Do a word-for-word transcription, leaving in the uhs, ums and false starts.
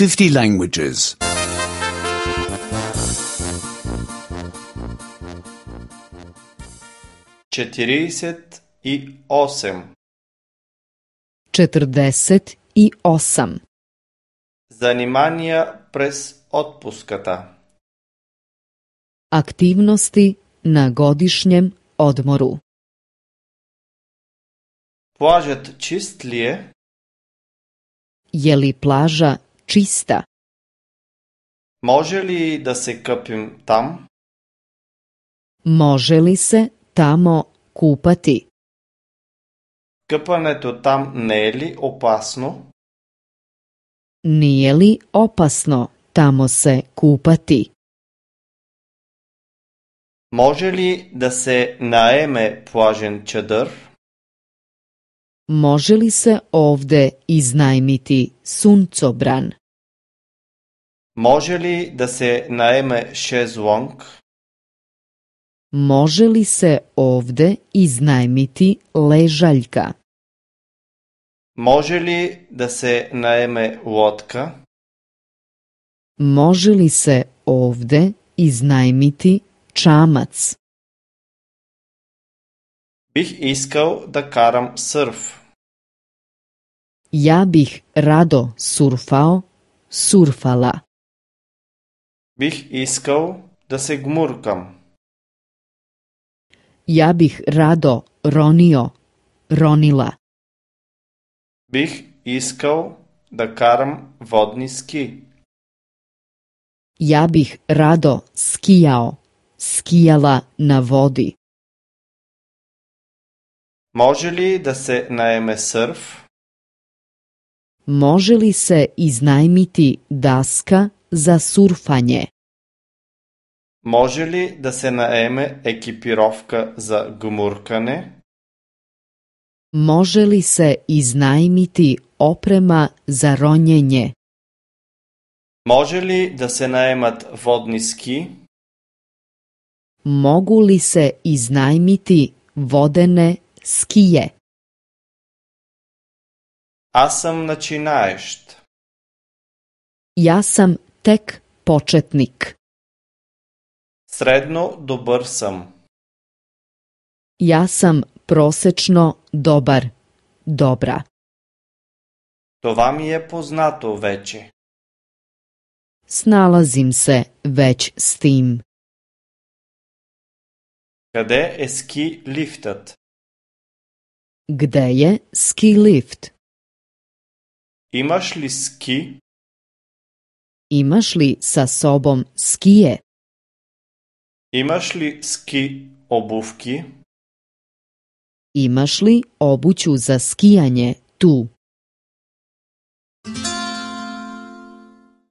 fifty languages. Четиридесет и осем. Četrdeset i osam. Занимания през отпуската. Aktivnosti na godišnjem odmoru. Плажът чист ли е? Je li plaža čista? Може ли да се къпим там? Može li se tamo kupati? Къпането там не е ли опасно? Nije li opasno tamo se kupati? Може ли да се наеме плажен чадър? Može li se ovde iznajmiti suncobran? Може ли да се наеме шезлонг? Može li se ovde iznajmiti ležaljka? Може ли да се наеме лодка? Može li se ovde iznajmiti čamac? Бих искал да карам сърф. Ja bih rado surfao, surfala. Бих искал да се гмуркам. Ja bih rado ronio, ronila. Бих искал да карам водни ски. Ja bih rado skijao, skijala na vodi. Може ли да се наеме сърф? Može li se iznajmiti daska za surfanje? Може ли да се наеме екипировка за гмуркане? Može li se iznajmiti oprema za ronjenje? Може ли да се наемат водни ски? Mogu li se iznajmiti vodene skije? Аз съм начинаещ. Ja sam tek početnik. Средно добър съм. Ja sam prosečno dobar, dobra. Това ми е познато вече. Snalazim se već s tim. Къде е ски лифтът? Gde je ski lift? Имаш ли ски? Imaš li sa sobom skije? Имаш ли ски обувки? Imaš li obuću za skijanje tu?